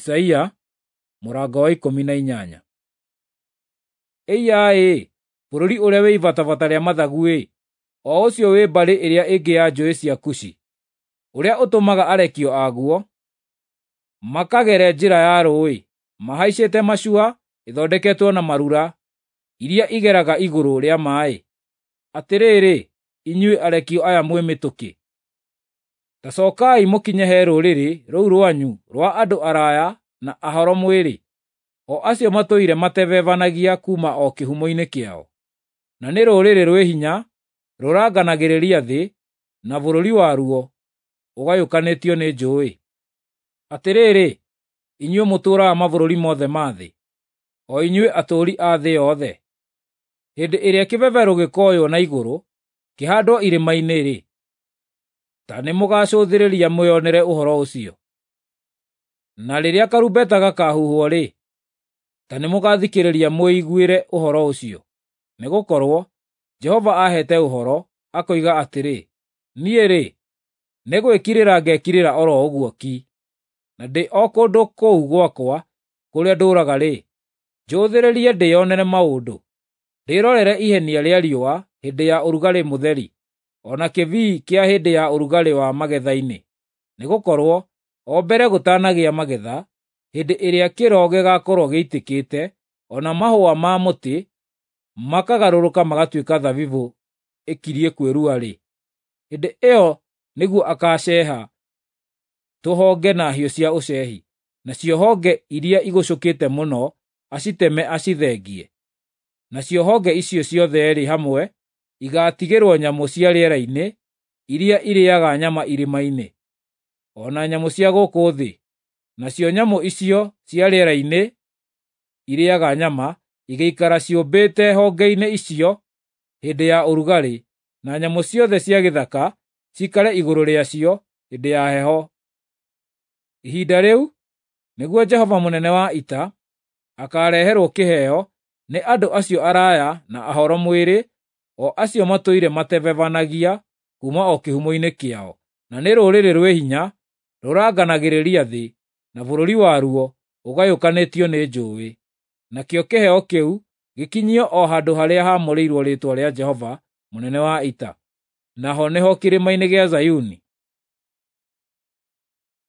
Isaia mũrango wa 18. Ĩiya-ĩ, bũrũri ũrĩa wĩ ibatabata rĩa mathagu-ĩ, o ũcio wĩ mbarĩ ĩrĩa ĩngĩ ya njũũĩ cia Kushi, ũrĩa ũtũmaga arekio aguo makagere njĩra ya rũũĩ, mahaicĩte macua ĩthondeketwo na marura iria igeraga igũrũ rĩa maaĩ. Atĩrĩrĩ, inyuĩ arekio aya mwĩ mĩtũkĩ, ta cookai mũkinye he rũrĩrĩ rũu rwanyu rwa andũ araya na ahoro mwĩrĩ, o acio matũire matebebanagia kuuma o kĩhumo-inĩ kĩao. Na nĩ rũrĩrĩ rwĩ hinya rũranganagĩrĩria thĩ, na bũrũri waruo ũgayũkanĩtio nĩ njũũĩ. Atĩrĩrĩ, inyuĩ mũtũũraga mabũrũri mothe ma thĩ, o inyuĩ atũũri a thĩ yothe, hĩndĩ ĩrĩa kĩbebero gĩkoywo na igũrũ kĩhaandwo irĩma-inĩ-rĩ, ta nĩmũgacũthĩrĩria mwĩonere ũhoro ũcio. Na rĩrĩa karumbeta gakaahuhwo-rĩ, ta nĩmũgathikĩrĩria mwĩiguĩre ũhoro ũcio. Nĩgũkorwo Jehova aheete ũhoro, akoiga atĩrĩ, niĩ-rĩ, nĩ gwĩkirĩra ngekirĩra oro ũguo ki, na ndĩ o kũndũ kũu gwakwa kũrĩa ndũũraga-rĩ, njũthĩrĩrie ndĩĩonere maũndũ, ndĩrorere ihenia rĩa riũa hĩndĩ ya ũrugarĩ mũtheri, o na kĩbii kĩa hĩndĩ ya ũrugarĩ wa magetha-inĩ. Nĩgũkorwo o mbere gũtanagĩa magetha, hĩndĩ ĩrĩa kĩro gĩgaakorwo gĩitĩkĩte, o na mahũa ma mũtĩ makagarũrũka magatuĩka thabibũ ĩkirie kwĩrua-rĩ, hĩndĩ ĩyo nĩguo akaaceeha tũhonge na hiũ cia ũceehi, nacio honge iria igucũkĩte mũno aciteme acithengie. Nacio honge icio ciothe-rĩ hamwe igaatigĩrwo nyamũ cia rĩera-inĩ iria irĩĩaga nyama irĩma-inĩ, o na nyamũ cia gũkũ thĩ. Nacio nyamũ icio cia rĩera-inĩ irĩĩaga nyama igaikara ciũmbĩte honge-inĩ icio hĩndĩ ya ũrugarĩ, na nyamũ ciothe cia gĩthaka ciikare igũrũ rĩacio hĩndĩ ya heho. Ihinda rĩu nĩguo Jehova mũnene wa ita akaareherwo kĩheo nĩ andũ acio araya na ahoro mwĩrĩ, o acio matũire matebebanagia kuuma o kĩhumo-inĩ kĩao, na nĩ rũrĩrĩ rwĩ hinya rũranganagĩrĩria thĩ, na bũrũri waruo ũgayũkanĩtio nĩ njũũĩ. Nakĩo kĩheo kĩu gĩkinyio o handũ harĩa haamũrĩirwo rĩĩtwa rĩa Jehova mũnene wa ita, naho nĩho kĩrĩma-inĩ gĩa Zayuni.